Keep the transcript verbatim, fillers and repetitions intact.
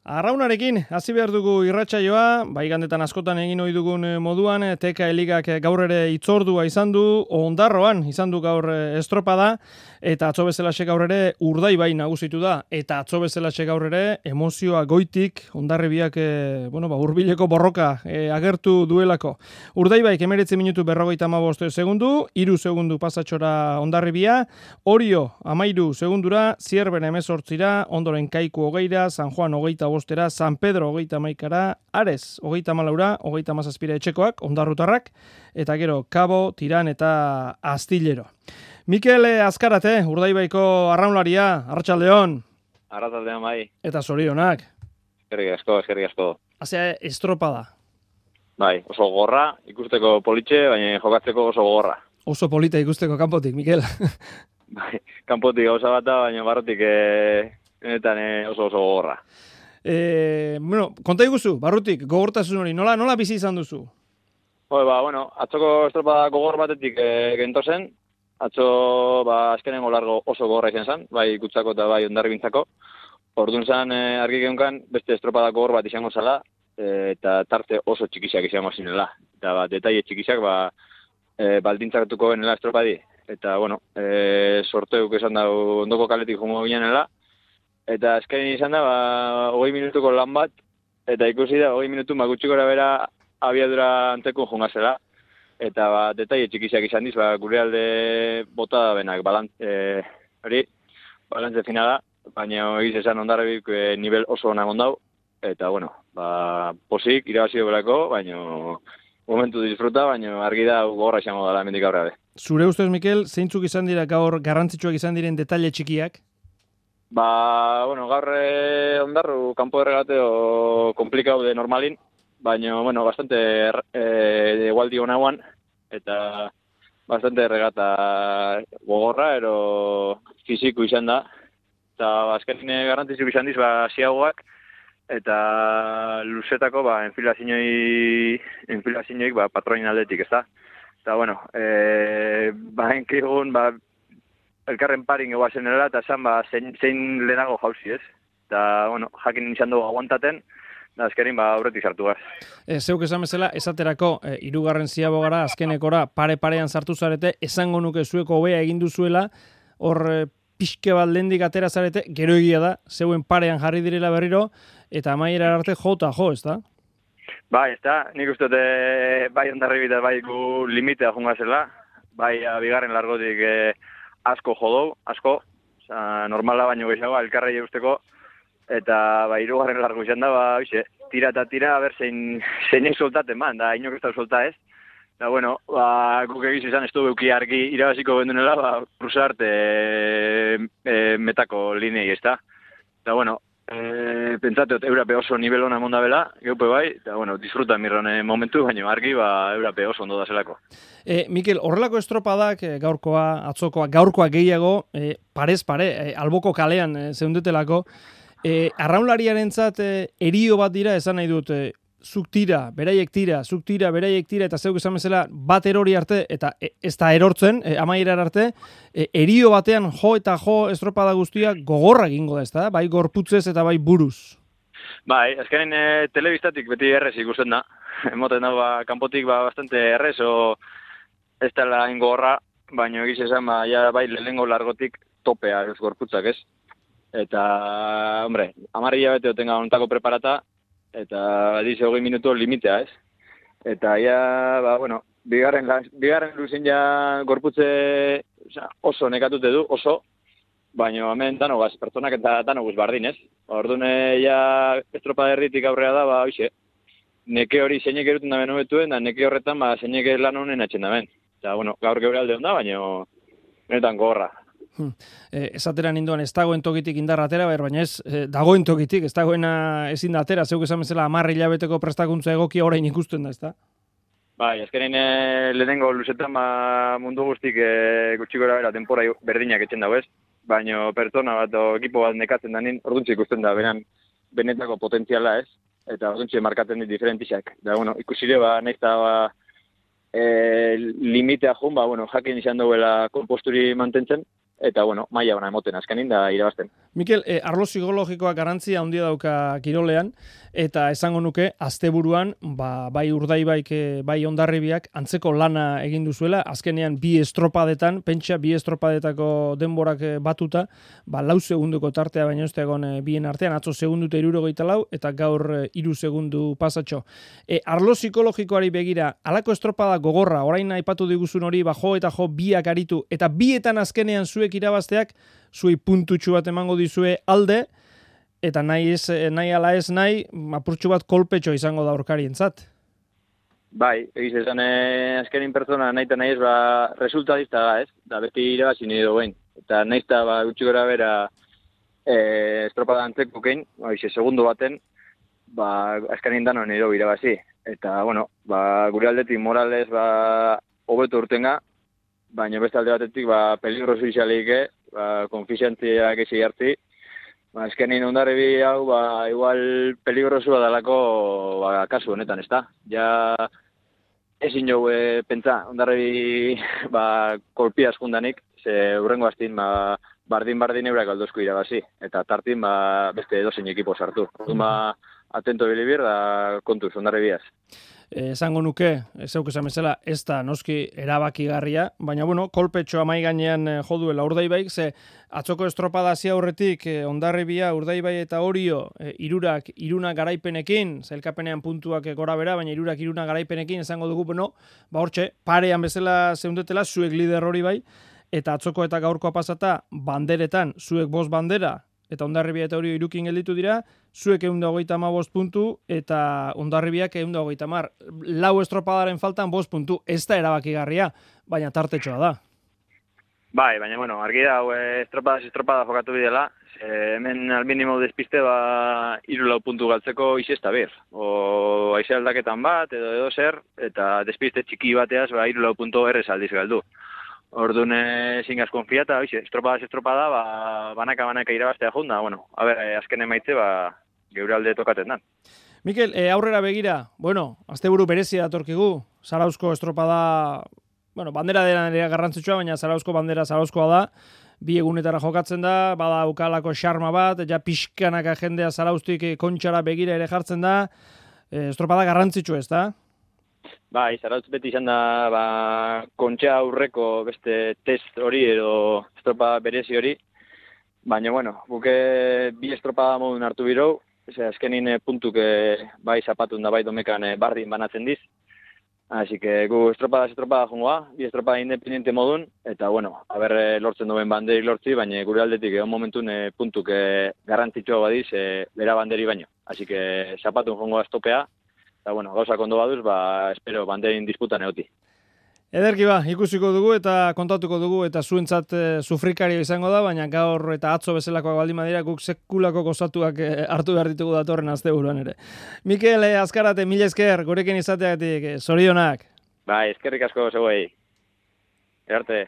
Arraunarekin, hasi behar dugu irratsaioa, bai gandetan askotan egin ohi dugun moduan, Teka Eligak gaur ere itzordua izan du, Ondarroan izan du gaur estropada, eta atzo bezalaxe gaur ere Urdaibai nagusitu da, eta atzo bezalaxe gaur ere emozioa goitik, Hondarribiak e, bueno, ba, hurbileko borroka e, agertu duelako. Urdaibaik emeretzi minutu berrogeita hamabost segundu, hiru segundu pasatxora Hondarribia, Orio amairu segundura, Zierben hemezortzira, ondoren Kaiku hogeira, San Juan hogeita bostera, San Pedro hogeita hamaikara, Ares hogeita hamalaura, hogeita hamazazpira etxekoak, ondarrutarrak, eta gero Kabo, Tiran eta Astillero. Mikel Azkarate, Urdaibaiko arraunlaria, arratsaldeon. Arratsaldeon bai. Eta zorionak. Eskerrik asko, eskerrik asko. Hasea estropada. Bai, oso gorra, ikusteko politxe, baina jokatzeko oso gorra. Oso polita ikusteko kanpotik, Mikel. Bai, kanpotik gauza bat da, baina barrotik eh, benetan eh, oso oso gorra. Eh, bueno, konta iguzu, barrutik, gogortasun hori, nola, nola bizi izan duzu? Hoi, ba, bueno, atzoko estropada gogor batetik e, gento zen, atzo, ba, azkenengo largo oso gogorra izan zen, bai Kutsako eta bai Hondarribintzako. Orduan zen, e, argi geunkan, beste estropada gogor bat izango zala, e, eta tarte oso txikisak izango zinela. Eta, ba, detaile txikisak, ba, e, baldintzakatuko benela estropadi. Eta, bueno, e, sorteuk esan da ondoko kaletik jongo ginenela, eta azken izan da, ba, hogei minutuko lan bat, eta ikusi da, hogei minutu magutxikora bera abiadura anteko jongazela. Eta, ba, detaile txikisak izan diz, ba, gure alde bota da benak, balant, e, hori, balantze finala, baina egiz esan Hondarribik e, nivel oso onak ondau, eta, bueno, ba, posik, irabazio belako, baina momentu disfruta, baina argi da gogorra izango dela hemendik aurrera be. Zure ustez, Mikel, zeintzuk izan dira gaur garrantzitsuak izan diren detaile txikiak? Ba, bueno, gaur eh, Ondarru kanpo erregateo komplikau de normalin, baina, bueno, bastante eh, egualdi honagoan, eta bastante regata gogorra, ero fiziko izan da. Eta azken garrantzitsu izan diz, ba, ziagoak, eta luzetako, ba, enfilazinoi, enfilazinioik, ba, patroin aldetik, ez da? Eta, bueno, eh, ba, enkigun, ba, elkarren parin egoazen erela, eta esan, ba, zein, zein lehenago jauzi, ez? Eta, bueno, jakin izan dugu aguantaten, da azkerin, ba, aurretik sartu gaz. E, zeuk esan bezala, esaterako, e, irugarren ziago gara, azkenekora, pare-parean sartu zarete, esango nuke zueko hobea egin duzuela, hor e, pixke bat lehendik atera zarete, gero egia da, zeuen parean jarri direla berriro, eta amaiera arte jo eta jo, ez da? Bai, ez da, nik uste dute, bai Hondarribit bai gu limitea jungazela, bai, bigarren largotik e, asko jodou, asko, oza, normala baino gehiago, elkarrei eusteko, eta ba, hirugarren largo izan da, ba, oixe, tira eta tira, a ber, zein, zeinek soltaten ban, da, inok ez da solta ez. Eta, bueno, ba, guk egiz izan, ez du beuki argi irabaziko bendunela, ba, Rusart e, e, metako linei, ez da. Eta, bueno, e, pentsateot, Eurape oso nivel hona monda bela, geupe bai, eta, bueno, disfruta mirrone momentu, baina argi, ba, Eurape oso ondo da zelako. E, Mikel, horrelako estropadak, e, gaurkoa, atzokoa, gaurkoa gehiago, e, parez pare, e, alboko kalean e, zeundetelako, e, arraunlariarentzat e, erio bat dira, esan nahi dut, e, zuk tira, beraiek tira, zuk tira, beraiek tira, eta zeuk esan bezala bat erori arte, eta e, ez da erortzen, e, amaierar arte, e, erio batean jo eta jo estropada guztia gogorra egingo da, ez da? Bai gorputzez eta bai buruz. Bai, azkenen e, telebistatik beti errez ikusten da. Emoten da, ba, kanpotik ba, bastante errez, o ez dela ingorra, baina egiz esan, ba, ja, bai, lehengo largotik topea ez gorputzak, ez? Eta, hombre, amarri jabete otenga ontako preparata, eta dize hogei minutu limitea, ez? Eta, ja, ba, bueno, bigarren, bigarren luzin ja gorputze oza, oso nekatute du, oso, baina hemen danogaz, pertsonak eta danoguz bardin, ez? Orduan, ja, estropa derritik aurrera da, ba, oixe, neke hori zeinek eruten da beno betuen, da neke horretan, ba, zeinek lan honen atxen da ben. Eta, bueno, gaur geure alde onda, baina benetan gogorra. Hmm. E, esatera ninduan ez dagoen tokitik indarra atera, baina ez e, dagoen tokitik, ez dagoena ezin da atera, zeuk esan bezala amarri hilabeteko prestakuntza egokia orain ikusten da, ez da? Bai, azkenein e, lehenengo luzetan ba, mundu guztik e, gutxikora bera denpora berdinak etxen dago ez, baina pertsona bat o ekipo bat nekatzen da nien, orduntxe ikusten da, beran, benetako potentziala ez, eta orduntxe markaten dit diferentizak. Da, bueno, ikusire, ba, nahiz da, ba, e, limitea jun, ba, bueno, jakin izan duela konposturi mantentzen, eta bueno, maila ona emoten azkenin da irabazten. Mikel, eh, arlo psikologikoa garantzia handia dauka kirolean, eta esango nuke, asteburuan, ba, bai Urdaibaik, bai Hondarribiak, antzeko lana egin duzuela, azkenean bi estropadetan, pentsa bi estropadetako denborak batuta, ba, lau segunduko tartea baino ez da egon bien artean, atzo segundu eta hirurogeita lau, eta gaur hiru segundu pasatxo. E, arlo psikologikoari begira, halako estropada gogorra, orain aipatu diguzun hori, ba, jo eta jo biak aritu, eta bietan azkenean zuek irabazteak, zuei puntutxu bat emango dizue alde, eta nahi, ez, nahi ala ez nahi, apurtxu bat kolpetxo izango da aurkarientzat. Bai, egiz esan eh, azkenin pertsona nahi eta nahi ez, ba, resultadista da, ez? Da beti irabazi nire duen. Eta nahi eta, ba, gutxi gora bera eh, estropada antzeko kein, ba, ize, segundo baten, ba, azkenin dano nire irabazi. Eta, bueno, ba, gure aldetik morales, ba, hobeto urtenga, baina beste alde batetik, ba, peligroso izaleik, ba, konfiziantziak ezi hartzi. Ba, azkenin Hondarribi hau, ba, igual peligrosua dalako, ba, kasu honetan, ez da? Ja, ezin jau e, pentsa, Hondarribi, ba, kolpiaz jundanik, ze hurrengo hastin, ba, bardin-bardin eurak aldozko irabazi, eta tartin, ba, beste edozein ekipo sartu. Orduan, ba, atento bilibir, da kontuz, Hondarribiaz. Esango nuke, zeuk esan bezala, ez da noski erabakigarria, baina bueno, kolpetxoa mai gainean jo duela Urdaibaik, ze atzoko estropada hasi aurretik Hondarribia, Urdaibai eta Orio hirurak iruna garaipenekin, zailkapenean puntuak gora bera, baina hirurak iruna garaipenekin esango dugu, bueno, ba hortxe, parean bezala zeundetela, zuek lider hori bai, eta atzoko eta gaurkoa pasata, banderetan, zuek bost bandera, eta Hondarribia eta Orio irukin gelditu dira, zuek ehun eta hogeita hamabost puntu, eta Hondarribiak ehun eta hogeita hamar. Lau estropadaren faltan bost puntu, ez da erabakigarria, baina tartetxoa da. Bai, baina, bueno, argi da, estropada estropada jokatu bidela, hemen al minimo despiste, ba, hiru lau puntu galtzeko izi ez da bir. O aize aldaketan bat, edo edo zer, eta despiste txiki bateaz, ba, hiru lau puntu errez aldiz galdu. Orduan ezin gaz konfiata, estropada estropada, ba, banaka-banaka irabaztea junda, bueno, a ber, azken emaitze, ba, geure alde tokaten da. Mikel, e, aurrera begira, bueno, asteburu berezia datorkigu, Zarauzko estropada, bueno, bandera dela nire garrantzitsua, baina Zarauzko bandera Zarauzkoa da, bi egunetara jokatzen da, bada ukalako xarma bat, ja pixkanaka jendea Zarauztik kontxara begira ere jartzen da, e, estropada garrantzitsua ez da? Bai, Zarautz beti izan da, ba, kontxa aurreko beste test hori edo estropada berezi hori, baina, bueno, buke bi estropada modun hartu birou, Ese, azkenin puntuk bai zapatun da bai domekan bardin banatzen diz. Así que gu estropada estropada jongoa, bi estropada independiente modun, eta bueno, haber lortzen duen banderi lortzi, baina gure aldetik egon momentun puntuk garrantzitsua badiz, bera banderi baino. Así que zapatun jongoa estopea, eta bueno, gauza kondo baduz, ba, espero banderin disputan eoti. Ederki ba, ikusiko dugu eta kontatuko dugu eta zuentzat e, sufrikario izango da, baina gaur eta atzo bezalakoak baldin badira guk sekulako gozatuak e, hartu behar ditugu datorren asteburuan ere. Mikel, e, Azkarate, mila esker, gurekin izateagatik, e, zorionak. Bai, eskerrik asko zeuei. Erte.